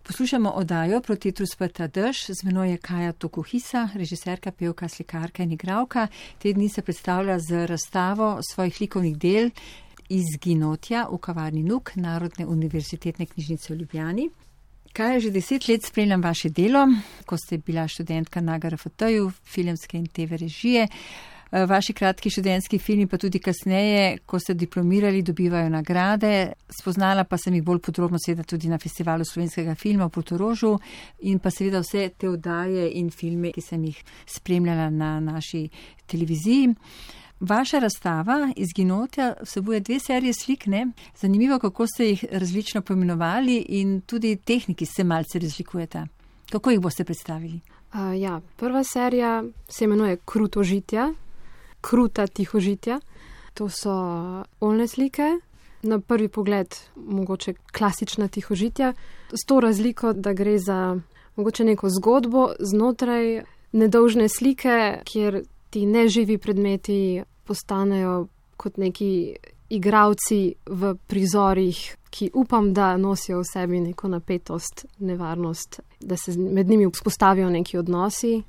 Poslušamo oddajo Protetru sprta dež, z menoj je Kaja Tokuhisa, režiserka, pevka, slikarka in igralka. Te dni se predstavlja z razstavo svojih likovnih del Izginotja v kavarni Nuk Narodne univerzitetne knjižnice v Ljubljani. Kaj, že 10 let spremljam vaše delo, ko ste bila študentka na GRFT-ju, filmske in TV režije. Vaši kratki študentski filmi pa tudi kasneje, ko ste diplomirali, dobivajo nagrade. Spoznala pa sem jih bolj podrobno seveda tudi na Festivalu slovenskega filma v Portorožu in pa seveda vse te oddaje in filme, ki sem jih spremljala na naši televiziji. Vaša razstava Izginotja vsebuje 2 serije slik, ne? Zanimivo, kako ste jih različno poimenovali in tudi tehniki se malce razlikujeta. Kako jih boste predstavili? Prva serija se imenuje Krutožitja. Kruta tihožitja. To so oljne slike. Na prvi pogled mogoče klasična tihožitja. S to razliko, da gre za mogoče neko zgodbo znotraj nedolžne slike, kjer ti neživi predmeti postanejo kot neki igravci v prizorih, ki upam, da nosijo v sebi neko napetost, nevarnost, da se med njimi vzpostavijo neki odnosi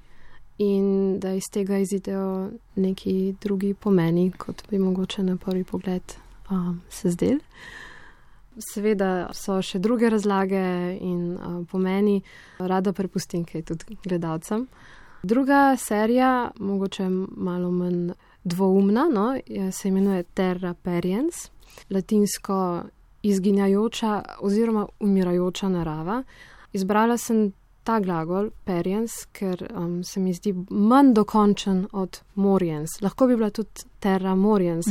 in da iz tega izidejo neki drugi pomeni, kot bi mogoče na prvi pogled se zdel. Seveda so še druge razlage in pomeni, rada prepustim kaj tudi gledalcem. Druga serija, mogoče malo manj dvoumna, se imenuje Terra Periens, latinsko izginjajoča oziroma umirajoča narava. Izbrala sem ta glagol, periens, ker se mi zdi manj dokončen od moriens. Lahko bi bila tudi terra moriens,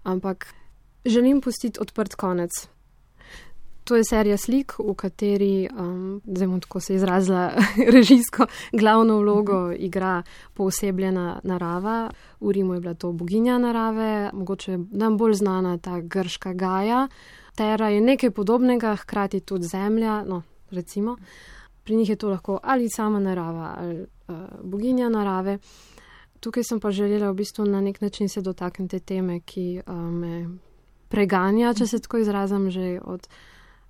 ampak želim pustiti odprt konec. To je serija slik, v kateri, zdaj bom tako se izrazila režijsko, glavno vlogo igra poosebljena narava. V Rimu je bila to boginja narave, mogoče nam bolj znana ta grška Gaja. Terra je nekaj podobnega, hkrati tudi zemlja, recimo. Pri njih je to lahko ali sama narava ali boginja narave. Tukaj sem pa želela v bistvu na nek način se dotakniti teme, ki me preganja, če se tako izrazim, že od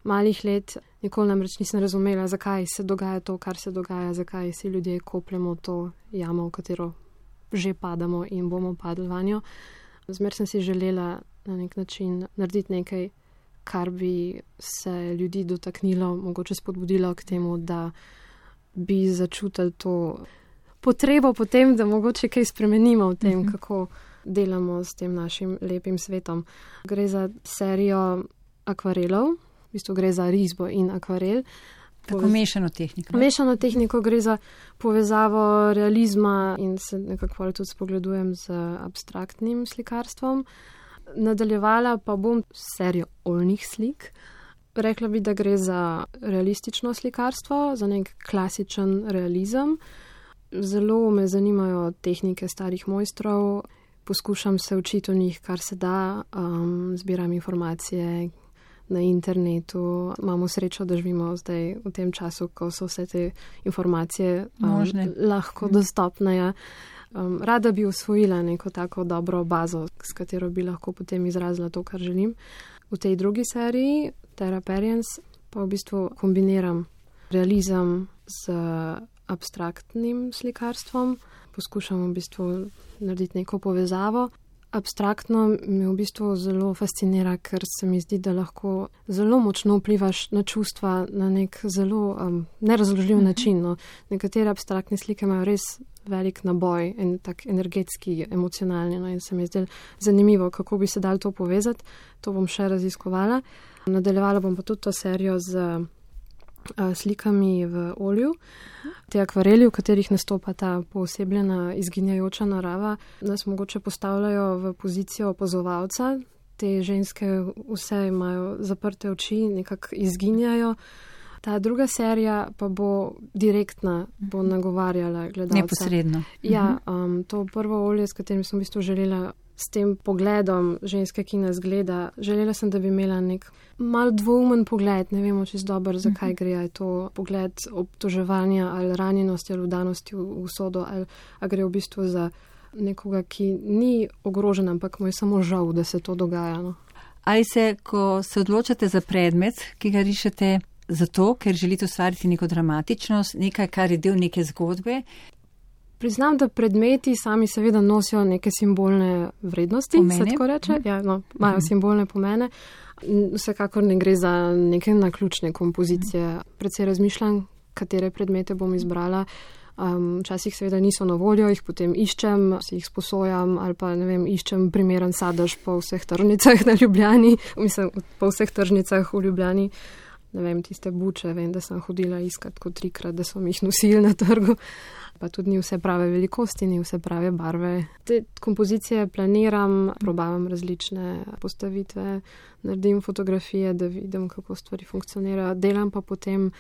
malih let. Nikoli namreč nisem razumela, zakaj se dogaja to, kar se dogaja, zakaj si ljudje kopljemo to jamo, v katero že padamo in bomo padli vanjo. Zmer sem si želela na nek način narediti nekaj, kar bi se ljudi dotaknilo, mogoče spodbudilo k temu, da bi začutili to potrebo potem, da mogoče kaj spremenimo v tem, kako delamo s tem našim lepim svetom. Gre za serijo akvarelov, v bistvu gre za risbo in akvarel. Tako mešano tehniko. Mešano tehniko, gre za povezavo realizma in se nekako tudi spogledujem z abstraktnim slikarstvom. Nadaljevala pa bom serijo oljnih slik. Rekla bi, da gre za realistično slikarstvo, za nek klasičen realizem. Zelo me zanimajo tehnike starih mojstrov, poskušam se učiti o njih, kar se da, zbiram informacije na internetu. Imamo srečo, da živimo zdaj v tem času, ko so vse te informacije lahko dostopne. Ja. Rada bi usvojila neko tako dobro bazo, s katero bi lahko potem izrazila to, kar želim. V tej drugi seriji, Terra Periens, pa v bistvu kombiniram realizem z abstraktnim slikarstvom. Poskušam v bistvu narediti neko povezavo. Abstraktno me v bistvu zelo fascinira, ker se mi zdi, da lahko zelo močno vplivaš na čustva na nek zelo nerazložljiv način. Nekatere abstraktne slike imajo res velik naboj in tak energetski, emocionalni. In se mi zdi zanimivo, kako bi se dalo to povezati. To bom še raziskovala. Nadaljevala bom pa tudi to serijo z slikami v olju. Te akvareli, v katerih nastopa ta poosebljena izginjajoča narava, nas mogoče postavljajo v pozicijo opazovalca. Te ženske vse imajo zaprte oči, nekako izginjajo. Ta druga serija pa bo direktna, bo nagovarjala gledalca. Neposredno. Ja, to prvo olje, s katerim sem v bistvu želela s tem pogledom ženske, ki nas gleda, želela sem, da bi imela nek mal dvoumen pogled, ne vemo čisto dobro, zakaj gre, je to pogled obtoževanja ali ranjenosti ali vdanosti v usodo, ali gre v bistvu za nekoga, ki ni ogrožen, ampak mu je samo žal, da se to dogaja. Ali se, ko se odločate za predmet, ki ga rišete, zato, ker želite ustvariti neko dramatičnost, nekaj, kar je del neke zgodbe? Priznam, da predmeti sami seveda nosijo neke simbolne vrednosti, pomene. Se tako reče. Ja, no, imajo simbolne pomene. Vsekakor ne gre za neke naključne kompozicije. Predvsej razmišljam, katere predmete bom izbrala. Včasih seveda niso na voljo, jih potem iščem, si jih sposojam ali pa, ne vem, iščem primeren sadež po vseh tržnicah na Ljubljani, mislim, po vseh tržnicah v Ljubljani. Ne vem, tiste buče, vem, da sem hodila iskat kot 3-krat, da so mi jih nosili na trgu. Pa tudi ni vse prave velikosti, ni vse prave barve. Te kompozicije planiram, probavam različne postavitve, naredim fotografije, da vidim, kako stvari funkcionirajo. Delam pa potem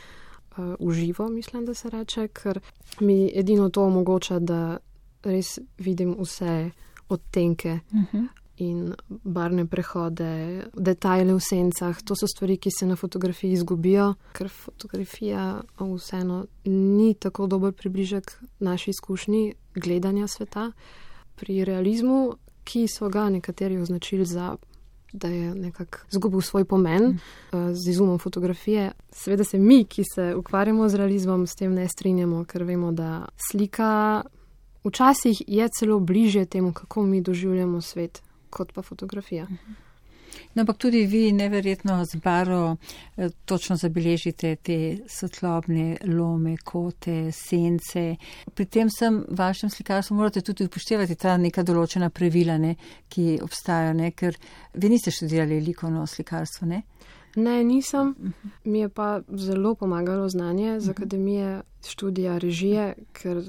uživo, mislim, da se reče, ker mi edino to omogoča, da res vidim vse odtenke in barvne prehode, detajle v sencah. To so stvari, ki se na fotografiji izgubijo, ker fotografija vseeno ni tako dober približek naši izkušnji gledanja sveta. Pri realizmu, ki so ga nekateri označili za, da je nekako izgubil svoj pomen z izumom fotografije. Seveda se mi, ki se ukvarjamo z realizmom, s tem ne strinjamo, ker vemo, da slika včasih je celo bližje temu, kako mi doživljamo svet, kot pa fotografija. No, ampak tudi vi neverjetno z barvo točno zabeležite te svetlobne lome, kote, sence. Pri tem vašem slikarstvu morate tudi upoštevati ta neka določena pravila, ne, ki obstajajo, ker vi niste študirali likovno slikarstvo, ne? Ne, nisem. Mi je pa zelo pomagalo znanje z akademije študija režije, ker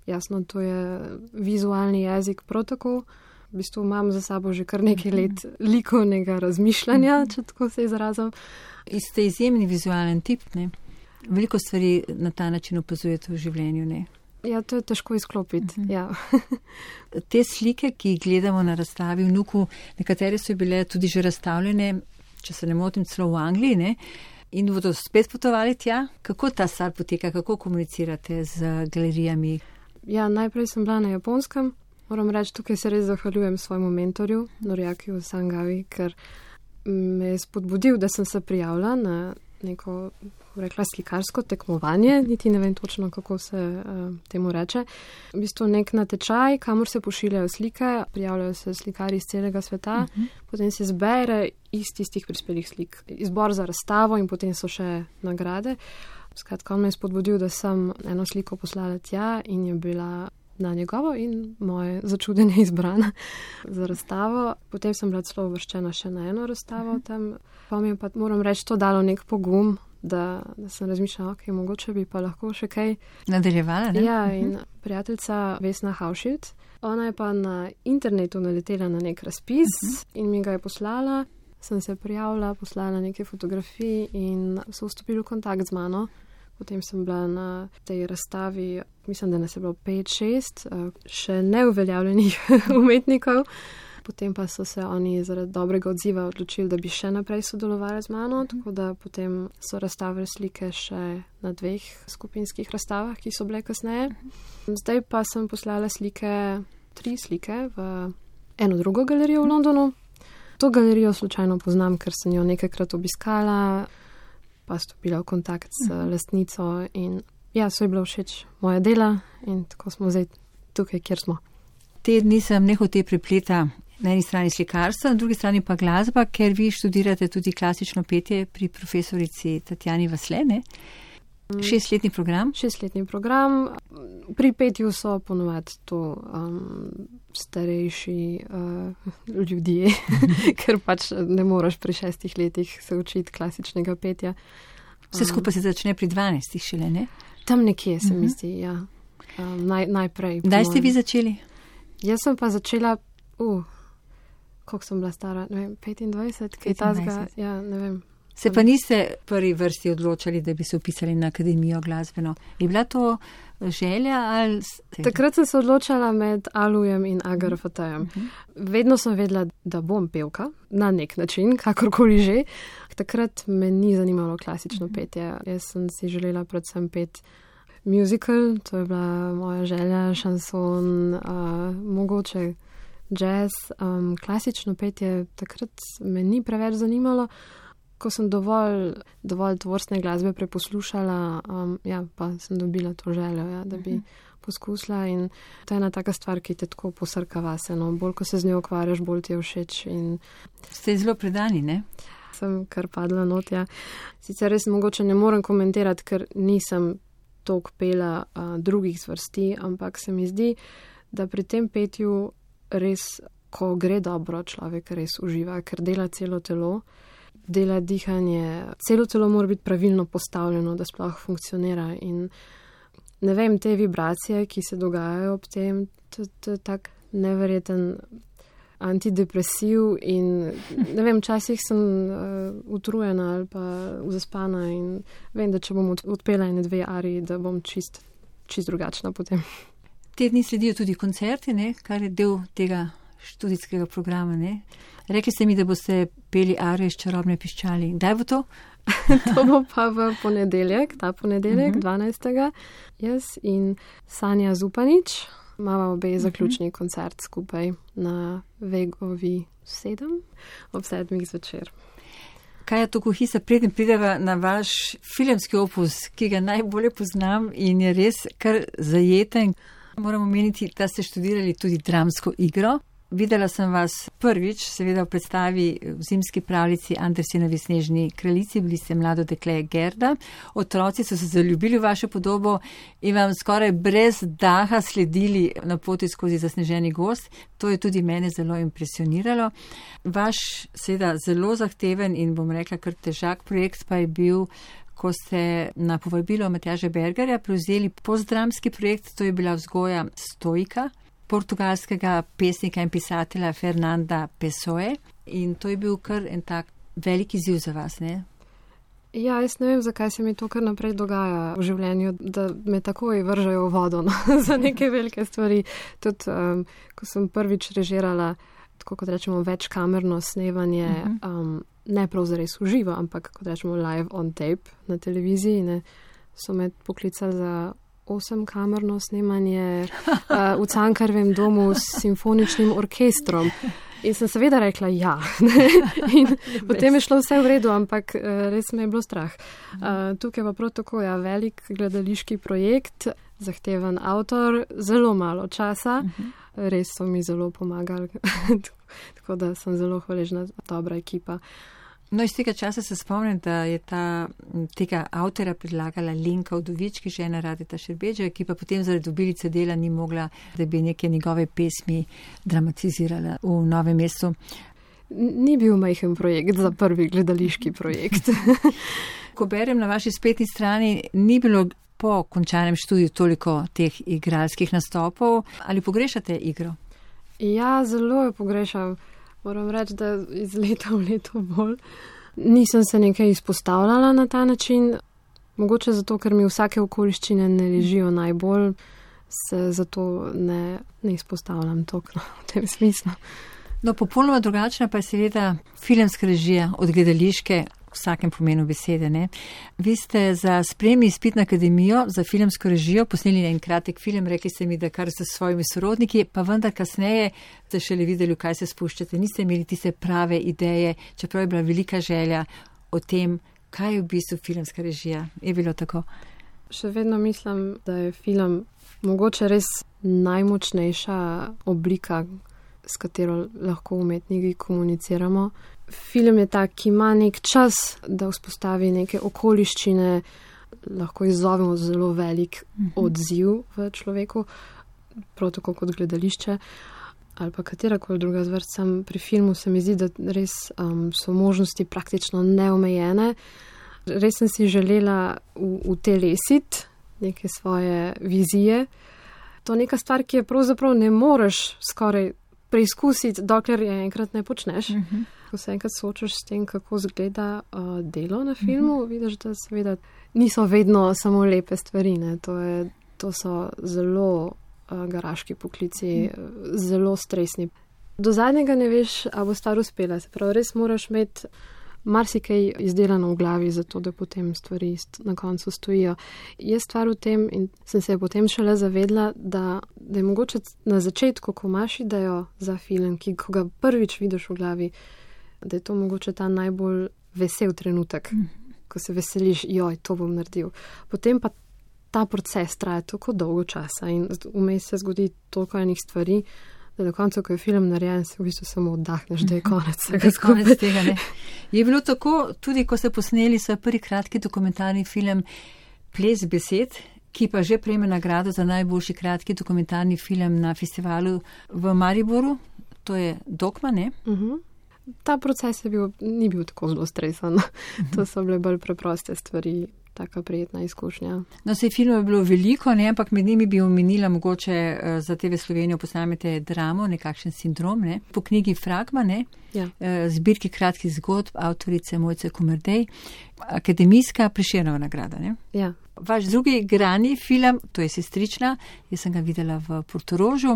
jasno, to je vizualni jezik prav tako. V bistvu imam za sabo že kar nekaj let likovnega razmišljanja, če tako se izrazim. Ste izjemni vizualen tip, ne? Veliko stvari na ta način opazujete v življenju, ne? Ja, to je težko izklopiti, ja. Te slike, ki jih gledamo na razstavi v Nuku, nekatere so bile tudi že razstavljene, če se ne motim, celo v Angliji, ne? In bodo spet potovali tja. Kako ta stvar poteka, kako komunicirate z galerijami? Ja, najprej sem bila na Japonskem. Moram reči, tukaj se res zahvaljujem svojemu mentorju, Noriakiju Sangavi, ker me je spodbudil, da sem se prijavila na neko, rekla, slikarsko tekmovanje, niti ne vem točno, kako se temu reče. V bistvu nek natečaj, kamor se pošiljajo slike, prijavljajo se slikari iz celega sveta, potem se zbere iz tistih prispelih slik, izbor za razstavo in potem so še nagrade. Skratka, on me je spodbudil, da sem eno sliko poslala tja in je bila na njegovo in moje začudenje izbrana za razstavo. Potem sem bila celo uvrščena še na eno razstavo tam. Pa mi je pa, moram reči, to dalo nek pogum, da sem razmišljala, ok, mogoče bi pa lahko še kaj nadaljevala, ne? Ja, in prijateljica Vesna Hauschild, ona je pa na internetu naletela na nek razpis in mi ga je poslala. Sem se prijavila, poslala nekaj fotografij in so vstopili v kontakt z mano. Potem sem bila na tej razstavi, mislim, da nas je bilo 5-6 še neuveljavljenih umetnikov. Potem pa so se oni zaradi dobrega odziva odločili, da bi še naprej sodelovali z mano, tako da potem so razstavili slike še na 2 skupinskih razstavah, ki so bile kasneje. Zdaj pa sem poslala 3 slike v eno drugo galerijo v Londonu. To galerijo slučajno poznam, ker sem jo nekajkrat obiskala, pa stopila v kontakt s lastnico in ja, so ji bilo všeč moja dela in tako smo zdaj tukaj, kjer smo. Te dni sem nehote prepleta na eni strani slikarstva, na drugi strani pa glasba, ker vi študirate tudi klasično petje pri profesorici Tatjani Vasle, ne? 6-letni program? 6-letni program. Pri petju so ponovadi to starejši ljudje, ker pač ne moreš pri 6 letih se učiti klasičnega petja. Vse skupaj se začne pri 12 šele, ne? Tam nekje se mi zdi, ja. Najprej. Kdaj ste vi začeli? Jaz sem pa začela, koliko sem bila stara, ne vem, 25, kaj tazga, ja, ne vem. Se pa niste prvi vrsti odločali, da bi se upisali na akademijo glasbeno. Je bila to želja ali... Takrat sem se odločala med Alujem in Agar Fatajem. Vedno sem vedela, da bom pevka, na nek način, kakorkoli že. Takrat me ni zanimalo klasično petje. Jaz sem si želela predvsem peti musical, to je bila moja želja, šanson, mogoče jazz. Klasično petje takrat me ni preveč zanimalo. ko sem dovolj tvorstne glasbe preposlušala, pa sem dobila to željo, da bi poskusila in to je ena taka stvar, ki te tako posrka vase, no, bolj ko se z njo ukvarjaš, bolj ti je všeč. Ste zelo predani, ne? Sem kar padla not, ja. Sicer res mogoče ne morem komentirati, ker nisem toliko pela drugih zvrsti, ampak se mi zdi, da pri tem petju res, ko gre dobro, človek res uživa, ker dela celo telo, dela dihanje, celo telo mora biti pravilno postavljeno, da sploh funkcionira in ne vem, te vibracije, ki se dogajajo ob tem, to je tak neverjeten antidepresiv in ne vem, včasih sem utrujena ali pa zaspana in vem, da če bom odpela ene 2 ariji, da bom čist drugačna potem. Te dni sledijo tudi koncerti, ne, kar je del tega študijskega programa, ne. Rekli ste mi, da boste peli arijo iz Čarobne piščali. Kdaj bo to? To bo pa v ponedeljek, 12. Jaz in Sanja Zupanič. Imava obe zaključni koncert skupaj na Vegovi 7 ob 7 zvečer. Kaja Tokuhisa, preden prideva na vaš filmski opus, ki ga najbolje poznam in je res kar zajeten, moram omeniti, da ste študirali tudi dramsko igro. Videla sem vas prvič, seveda v predstavi v zimski pravljici Andersenovi Snežni kraljici, bili ste mlado dekle Gerda. Otroci so se zaljubili v vašo podobo in vam skoraj brez daha sledili na poti skozi zasneženi gozd. To je tudi mene zelo impresioniralo. Vaš seveda zelo zahteven in bom rekla kar težak projekt pa je bil, ko ste na povabilo Matjaža Bergerja prevzeli postdramski projekt, to je bila vzgoja stoika portugalskega pesnika in pisatelja Fernanda Pessoe in to je bil kar en tak velik izziv za vas, ne? Ja, jaz ne vem, zakaj se mi to kar naprej dogaja v življenju, da me takoj vržajo v vodo za neke velike stvari. Tudi, ko sem prvič režirala, tako kot rečemo, večkamerno snemanje, ne prav zares v živo, ampak kot rečemo live on tape na televiziji, ne, so me poklicali za 8-kamerno snemanje v Cankarjevem domu s simfoničnim orkestrom. In sem seveda rekla ja. In potem je šlo vse v redu, ampak res me je bilo strah. Tukaj pa prav tako, ja, velik gledališki projekt, zahteven avtor, zelo malo časa, res so mi zelo pomagali. Tako da sem zelo hvaležna, dobra ekipa. No, iz tega časa se spomnim, da je tega avtora predlagala Lenka Udovič, žena Radeta Šerbedža, ki pa potem zaradi obilice dela ni mogla, da bi neke njegove pesmi dramatizirala v Novem mestu. Ni bil majhen projekt za prvi gledališki projekt. Ko berem na vaši spletni strani, ni bilo po končanem študiju toliko teh igralskih nastopov. Ali pogrešate igro? Ja, zelo jo pogrešam. Moram reči, da iz leta v leto bolj. Nisem se nekaj izpostavljala na ta način, mogoče zato, ker mi vsake okoliščine ne ležijo najbolj, se zato ne izpostavljam toliko v tem smislu. No, popolnoma drugačna pa je seveda filmska režija od gledališke, v vsakem pomenu besede, ne. Vi ste za sprejemni izpit na akademijo za filmsko režijo posneli en kratek film, rekli ste mi, da kar s svojimi sorodniki, pa vendar kasneje ste šele videli, v kaj se spuščate. Niste imeli tiste prave ideje, čeprav je bila velika želja o tem, kaj je v bistvu filmska režija. Je bilo tako? Še vedno mislim, da je film mogoče res najmočnejša oblika, s katero lahko umetniki komuniciramo. Film je tak, ki ima nek čas, da vzpostavi neke okoliščine, lahko izzovemo zelo velik odziv v človeku, prav tako kot gledališče ali pa katerakoli druga zvrst. Pri filmu se mi zdi, da res so možnosti praktično neomejene. Res sem si želela utelesiti neke svoje vizije. To je neka stvar, ki je pravzaprav ne moreš skoraj preizkusiti, dokler je enkrat ne počneš. Ko se enkrat soočaš s tem, kako zgleda delo na filmu, vidiš, da seveda niso vedno samo lepe stvari. Ne. To so zelo garaški poklici, zelo stresni. Do zadnjega ne veš, a bo stvar uspela. Se pravi, res moraš imeti marsikaj izdelano v glavi, zato da potem stvari na koncu stojijo. Je stvar v tem, in sem se potem šele zavedla, da je mogoče na začetku, ko imaš idejo za film, ko ga prvič vidiš v glavi, da je to mogoče ta najbolj vesel trenutek, ko se veseliš, joj, to bom naredil. Potem pa ta proces traja tako dolgo časa in vmes se zgodi toliko enih stvari, da na koncu, ko je film narejen, se v bistvu samo oddahneš, da je konec tega. Ne? Je bilo tako, tudi ko ste posneli svoj prvi kratki dokumentarni film Ples besed, ki pa že prejme nagrado za najboljši kratki dokumentarni film na festivalu v Mariboru, to je Dogma, ne? Ta proces ni bil tako zelo stresen. To so bile bolj preproste stvari, taka prijetna izkušnja. No, sej filmov je bilo veliko, ne, ampak med njimi bi omenila mogoče za TV Slovenijo posnamete dramo, nekakšen sindrom, ne, po knjigi Fragma, ne, zbirki kratkih zgodb, avtorice Mojce Komerdej, akademijska Prešernova nagrada, ne. Ja. Vaš drugi igrani film, to je Sestrična, jaz sem ga videla v Portorožu,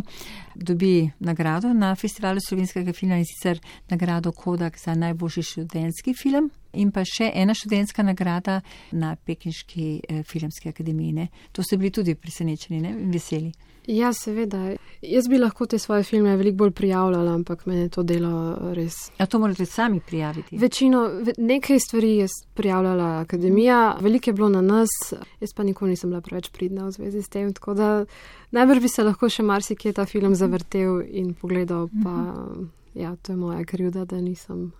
dobi nagrado na festivalu slovenskega filma in sicer nagrado Kodak za najboljši študentski film in pa še ena študentska nagrada na Pekinški filmski akademiji. Ne? To ste bili tudi presenečeni, ne? In veseli. Ja, seveda. Jaz bi lahko te svoje filme veliko bolj prijavljala, ampak mene to delo res... A to morate sami prijaviti? Nekaj stvari je prijavljala akademija, veliko je bilo na nas, jaz pa nikoli nisem bila preveč pridna v zvezi s tem, tako da najbrž bi se lahko še marsikje ta film zavrtel in pogledal, pa ja, to je moja krivda, da nisem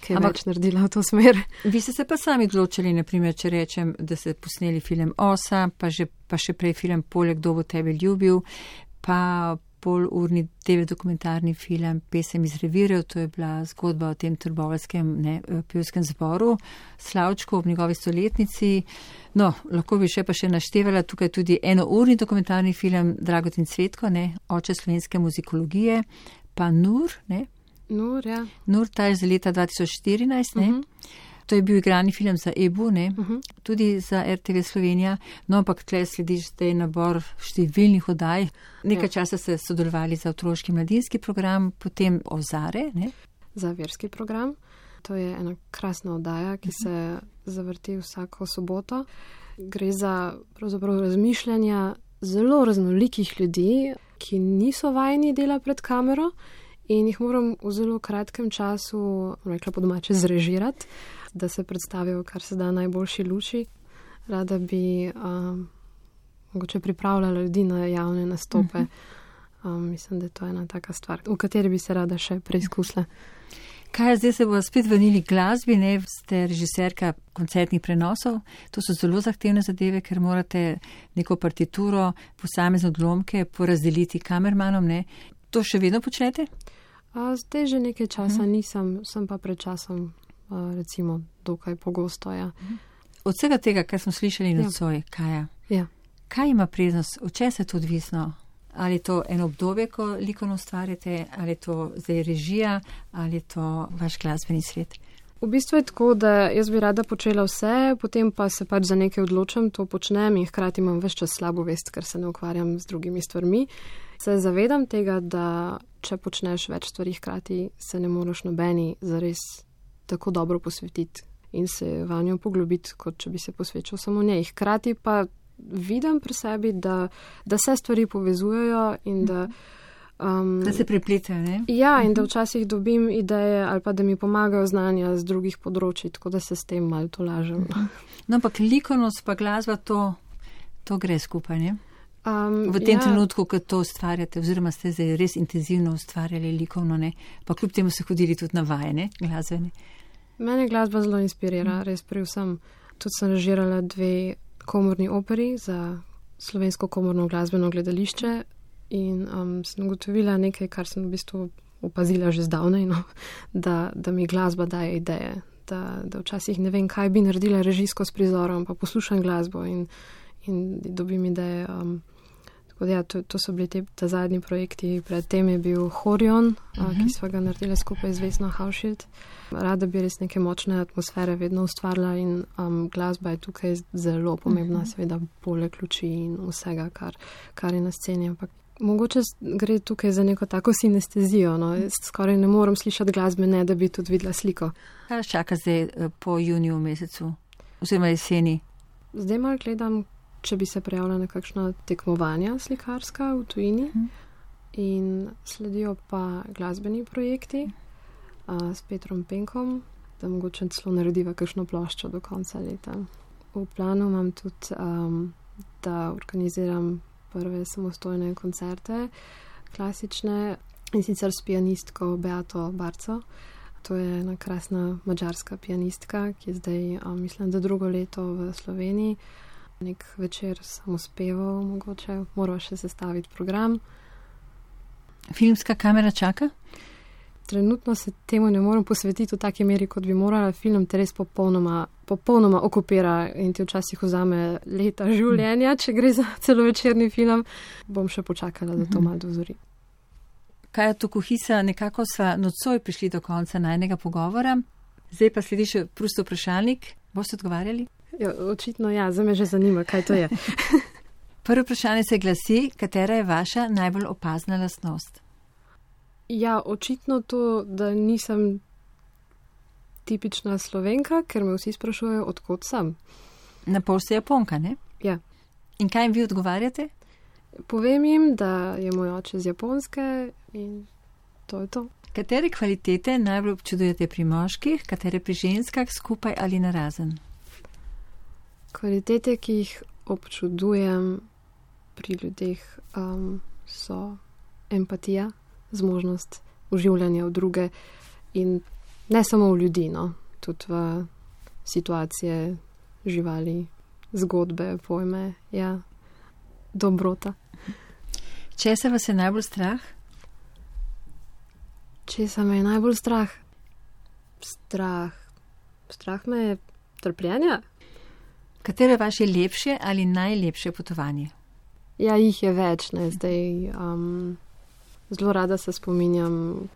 kaj več naredila v to smer. Vi ste se pa sami odločili, naprimer, če rečem, da ste posneli film Osa, pa še prej film Poleg kdo bo tebe ljubil, pa polurni TV dokumentarni film Pesem iz revirjev, to je bila zgodba o tem trboveljskem pevskem zboru, Slavčku ob njegovi stoletnici. No, lahko bi še naštevala tukaj tudi enourni dokumentarni film Dragotin Cvetko, ne, Oče slovenske muzikologije, pa Nur, ne. Nur, ja. Nur, ta je za leta 2014, ne. To je bil igrani film za EBU, ne, tudi za RTV Slovenija, no, ampak tleh slediš zdaj nabor številnih oddaj. Nekaj časa ste sodelovali za otroški mladinski program, potem Ozare, ne. Za verski program. To je ena krasna oddaja, ki se zavrti vsako soboto. Gre za pravzaprav razmišljanja zelo raznolikih ljudi, ki niso vajeni dela pred kamero in jih moram v zelo kratkem času, rekla po domače, zrežirati, da se predstavijo, kar se da najboljši luči. Rada bi mogoče pripravljala ljudi na javne nastope. Mislim, da je to ena taka stvar, v kateri bi se rada še preizkusila. Kaj, zdaj se bo spet vrnili glasbi, ne? Ste režiserka koncertnih prenosov. To so zelo zahtevne zadeve, ker morate neko partituro, posamezne odlomke porazdeliti kamermanom, ne? To še vedno počnete? Zdaj že nekaj časa nisem, sem pa pred časom recimo dokaj pogosto, ja. Od vsega tega, kar smo slišali nocoj, Kaja, kaj ima prednost, od česa je to odvisno? Ali je to eno obdobje, ko likovno ustvarjate, ali je to zdaj režija, ali je to vaš glasbeni svet? V bistvu je tako, da jaz bi rada počela vse, potem pa se pač za nekaj odločam, to počnem in hkrati imam ves čas slabo vest, ker se ne ukvarjam z drugimi stvarmi. Se zavedam tega, da če počneš več stvari hkrati, se ne moreš nobeni zares tako dobro posvetiti in se vanjo poglobiti, kot če bi se posvečal samo njej. Hkrati pa vidim pri sebi, da se stvari povezujejo in da se prepletajo, ne? Ja, in da včasih dobim ideje ali pa da mi pomagajo znanja z drugih področji, tako da se s tem malo tolažem. No, ampak likovnost pa glasba, to gre skupaj, ne? V tem trenutku, ko to ustvarjate, oziroma ste zdaj res intenzivno ustvarjali likovno, ne? Pa kljub temu se hodili tudi na vaje, ne? Glasbene. Mene glasba zelo inspirira, res pri vsem. Tudi sem režirala 2 komorni operi za Slovensko komorno glasbeno gledališče in sem ugotovila nekaj, kar sem v bistvu opazila že zdavnaj, no, da mi glasba daje ideje, da včasih ne vem, kaj bi naredila režijsko s prizorom, pa poslušam glasbo in dobim ideje. Tako da ja, to so bili ta zadnji projekti. Predtem je bil Horion, ki sva ga naredila skupaj z Vesno Hauschild. Rada bi res neke močne atmosfere vedno ustvarila in glasba je tukaj zelo pomembna, seveda poleg luči in vsega, kar je na sceni. Ampak mogoče gre tukaj za neko tako sinestezijo, no. Skoraj ne morem slišati glasbe, ne da bi tudi videla sliko. Kaj čaka zdaj po juniju mesecu, oziroma jeseni? Zdaj malo gledam, če bi se prijavila na kakšna tekmovanja slikarska v tujini in sledijo pa glasbeni projekti s Petrom Penkom da mogoče celo narediva kakšno ploščo do konca leta. V planu imam tudi, da organiziram prve samostojne koncerte, klasične, in sicer s pianistko Beato Barco. To je ena krasna madžarska pianistka, ki je zdaj, mislim, da drugo leto v Sloveniji. Nek večer samospevov mogoče, mora še sestaviti program. Filmska kamera čaka? Trenutno se temu ne morem posvetiti v taki meri, kot bi morala. Film te res popolnoma okupira in ti včasih vzame leta življenja, če gre za celovečerni film. Bom še počakala, da to malo dozori. Kaja Tokuhisa, nekako sva nocoj prišli do konca najnega pogovora. Zdaj pa sledi še prost vprašalnik. Boste odgovarjali? Ja, očitno ja, za me že zanima, kaj to je. Prvo vprašanje se glasi, katera je vaša najbolj opazna lastnost? Ja, očitno to, da nisem tipična Slovenka, ker me vsi sprašujejo, odkot sem. Na pol ste Japonka, ne? Ja. In kaj jim vi odgovarjate? Povem jim, da je moj oče z Japonske in to je to. Katere kvalitete najbolj občudujete pri moških, katere pri ženskah, skupaj ali narazen? Kvalitete, ki jih občudujem pri ljudeh, so empatija, zmožnost uživljanja v druge in ne samo v ljudi, no, tudi v situacije, živali, zgodbe, pojme, ja, dobrota. Česa vas je najbolj strah? Česa me je najbolj strah? Strah me je trpljenja. Katero je vaše lepše ali najlepše potovanje? Ja, jih je več, ne, zdaj zelo rada se spominjam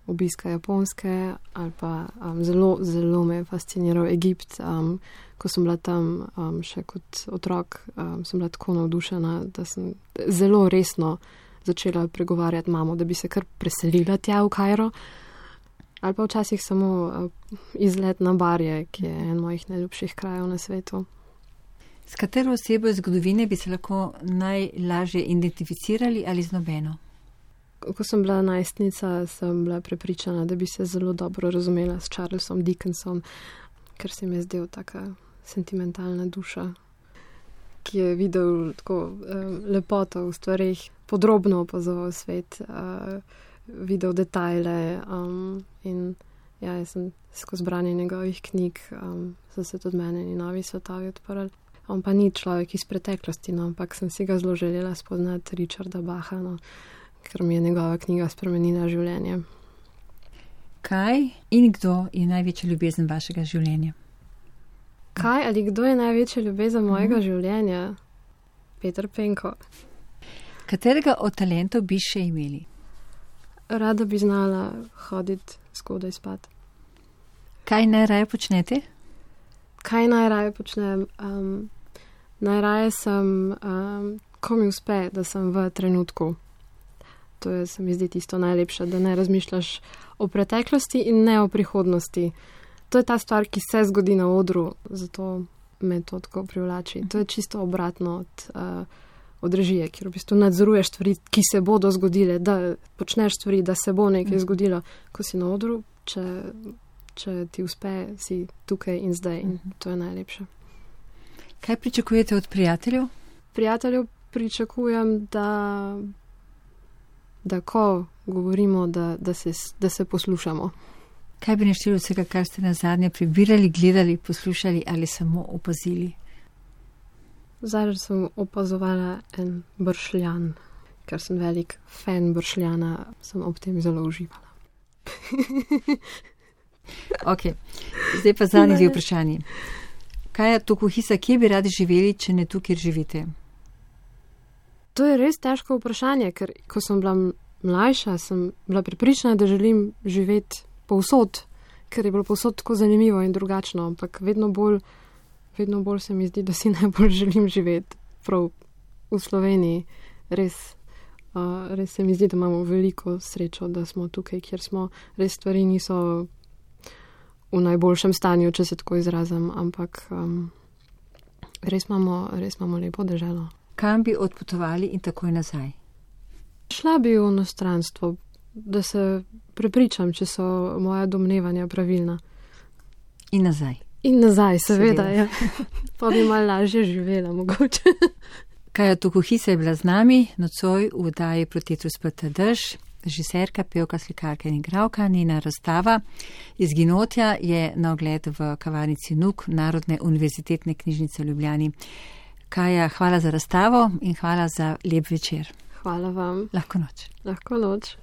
obiska Japonske ali pa zelo me je fasciniral Egipt. Ko sem bila tam še kot otrok, sem bila tako navdušena, da sem zelo resno začela pregovarjati mamo, da bi se kar preselila tja v Kairo. Ali pa včasih samo izlet na Barje, ki je en mojih najljubših krajev na svetu. S katero osebo iz zgodovine bi se lahko najlažje identificirali ali z nobeno? Ko sem bila najstnica, sem bila prepričana, da bi se zelo dobro razumela s Charlesom Dickensom, ker se mi je zdel taka sentimentalna duša, ki je videl tako lepoto v stvarih, podrobno opazoval svet, videl detajle in ja, jaz sem skozi branje njegovih knjig, so se tudi meni novi svetovi odprli. On pa ni človek iz preteklosti, no, ampak sem si ga zelo želela spoznati, Richarda Bacha, no, ker mi je njegova knjiga spremenila življenje. Kaj in kdo je največja ljubezen vašega življenja? Kaj ali kdo je največja ljubezen mojega življenja? Peter Penko. Katerega od talentov bi še imeli? Rada bi znala hoditi zgodaj spat. Kaj najraje počnete? Kaj najraje počnem? Najraje sem, ko mi uspe, da sem v trenutku. To je, se mi zdi, tisto najlepše, da ne razmišljaš o preteklosti in ne o prihodnosti. To je ta stvar, ki se zgodi na odru, zato me to tako privlači. To je čisto obratno od režije, kjer v bistvu nadzoruješ stvari, ki se bodo zgodile, da počneš stvari, da se bo nekaj zgodilo. Ko si na odru, če ti uspe, si tukaj in zdaj in to je najlepše. Kaj pričakujete od prijateljev? Prijateljev pričakujem, da ko govorimo, da se poslušamo. Kaj bi našteli vsega, kar ste nazadnje prebirali, gledali, poslušali ali samo opazili? Zadnjič sem opazovala en bršljan, ker sem velik fan bršljana, sem ob tem zelo uživala. Ok, zdaj pa zadnji dve vprašanji. Kaja Tokuhisa, kje bi radi živeli, če ne tu, kjer živite? To je res težko vprašanje, ker ko sem bila mlajša, sem bila prepričana, da želim živeti povsod, ker je bilo povsod tako zanimivo in drugačno, ampak vedno bolj se mi zdi, da si najbolj želim živeti prav v Sloveniji. Res se mi zdi, da imamo veliko srečo, da smo tukaj, kjer smo. Res stvari niso v najboljšem stanju, če se tako izrazim, ampak res imamo lepo deželo. Kam bi odpotovali in takoj nazaj? Šla bi v inostranstvo, da se prepričam, če so moja domnevanja pravilna. In nazaj. In nazaj, seveda. Ja. Pa bi malo lažje živela, mogoče. Kaja Tokuhisa je bila z nami, nocoj v oddaji Protetus Pata Dež, režiserka, pevka, slikarka in igralka. Njena razstava Izginotja je na ogled v kavarnici NUK, Narodne univerzitetne knjižnice v Ljubljani. Kaja, hvala za razstavo in hvala za lep večer. Hvala vam. Lahko noč. Lahko noč.